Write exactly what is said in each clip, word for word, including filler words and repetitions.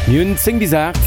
Mir hunn zéng bis aacht.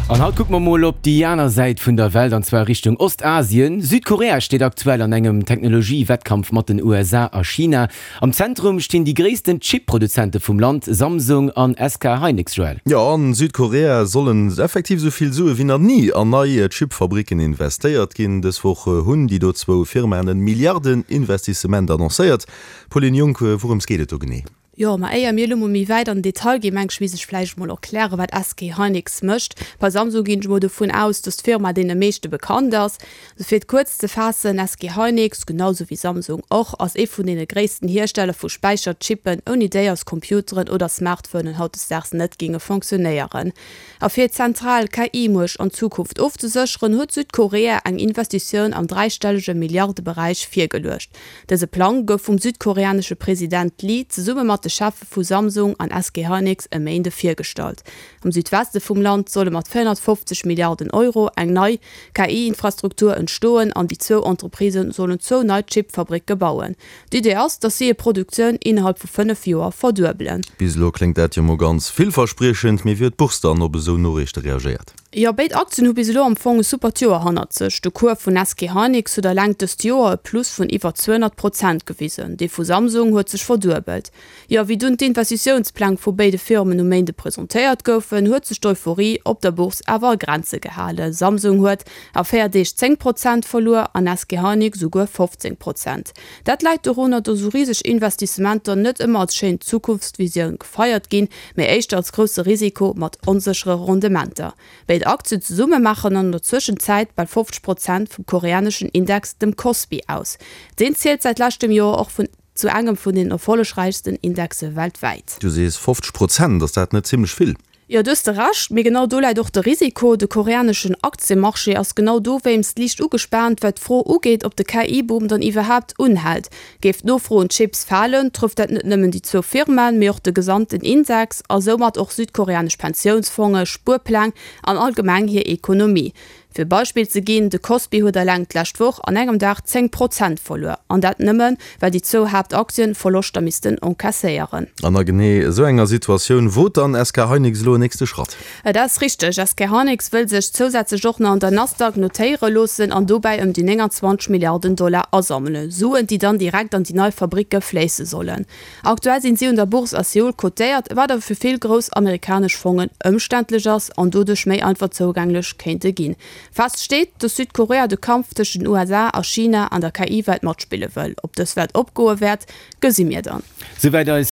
An haut kucke mer mol op déi aner Säit vun der Welt, an zwar Richtung Ostasien. Südkorea steet aktuell an engem Technologie-Wettkampf mat den U S A a China. Am Zentrum stinn déi gréissten Chip-Produzente vum Land, Samsung an S K Hynix, Joël. Jo, an Südkorea sollen effektiv esou vill Sue wéi nach ni an nei Chip-Fabricken investéiert ginn. Dës Woch hunn déi do zwou Firmaen e Milliarden-Investissement annoncéiert. Pauline Junck, wourëms geet et do genee? Jo, ma éier mir elo mol méi wäit an den Detail ginn, mengen ech, misst ech vläicht mol erklären, wat S K Hynix mécht. Bei Samsung ginn ech mol dovun aus, dass d'Firma deene meeschte bekannt ass. Also fir et kuerz ze faassen, S K Hynix, genau sou wéi Samsung och, ass ee vun deene gréissten Hiersteller vu Späicherchippen, ouni déi eis Computeren oder Smartphonen hautdesdaags net géinge fonctionnéieren. A fir zentral K I-Muecht an Zukunft ofzesécheren, huet Südkorea eng Investitioun am dräistellege Milliardeberäich virgeluecht. Dëse Plang gouf vum südkoreanesche President Lee zesumme mat de Cheffe vu Samsung an S K Hynix e Méinde virgestallt. Am Südweste vum Land solle mat véierhonnertfofzeg Milliarden Euro eng nei K I-Infrastruktur entstoen an déi zwou Entreprisë sollen zwou nei Chip-Fabricke bauen. D'Idee ass, datt si hir Produktioun innerhalb vu fënnef Joer verduebelen. Bis elo kléngt dat jo mol ganz villverspriechend, mee wéi huet d'Bourse dann op esou Noriichte reagéiert? Jo, béid Aktien hu bis elo am Fong e supert Joer hannert sech. De Cours vun S K Hynix huet eleng dëst Joer e Plus vun iwwer zweehonnert Prozent gewisen, dee vu Samsung huet sech verduebelt. Jo, wéi dunn d'Investitiounspläng vu béide Firmen um Méinde presentéiert goufen, huet sech d'Euphorie op der Bourse awer a Grenze gehalen. Samsung huet a véier Deeg zéng Prozent verluer an S K Hynix esouguer fofzéng Prozent. Dat läit dorunner, datt esou riseg Investissementer net ëmmer als schéin Zukunftsvisioun gefeiert ginn, mee éischter als grousse Risiko mat onséchere Rendementer. Béid Aktien zesumme maachen an der Zwëschenzäit bal fofzeg Prozent vum koreaneschen Index, dem Kospi, aus. Deen zielt säit leschtem Joer och vun zu engem vun den erfollegräichsten Indexe weltwäit. Du sees fofzeg Prozent, ass dat net zimmlech vill? Jo, do hues de Recht, mee genau do läit och de Risiko. De koreaneschen Aktiemarché ass genau dowéinst liicht ugespaant, wat d'Fro ugeet, ob de K I-Boom dann iwwerhaapt unhält. Géif d'Nofro un Chips falen, trëfft dat net nëmmen déi zwou Firmaen, mee och de gesamten Index a soumat och südkoreanesch Pensiounsfonge, Spuerpläng an allgemeng hir Ekonomie. Fir e Beispill ze ginn, De Kospi huet eleng d'lescht Woch an engem Dag zéng Prozent verluer, an dat nëmmen, well déi zwou Haaptaktien Verloschter missten encaisséieren. An a genee esou enger Situatioun wot dann S K Hynix elo en nächste Schratt. Et ass richteg, S K Hynix wëll sech zousätzlech och nach an der Nasdaq notéiere loossen an dobäi ëm déi nénganzwanzeg Milliarden Dollar asammelen, Suen, déi dann direkt an déi nei Fabricke fléisse sollen. Aktuell sinn si un der Bourse a Seoul kotéiert, wat awer fir vill grouss amerikanesch Fongen ëmständlech ass an doduerch méi einfach zougänglech kéinte ginn. Fest steet, dass Südkorea de Kampf tëscht den U S A a China an der K I-Welt matspille wëll. Ob dës Wett opgoe wäert, gesi mir dann. Souwäit eis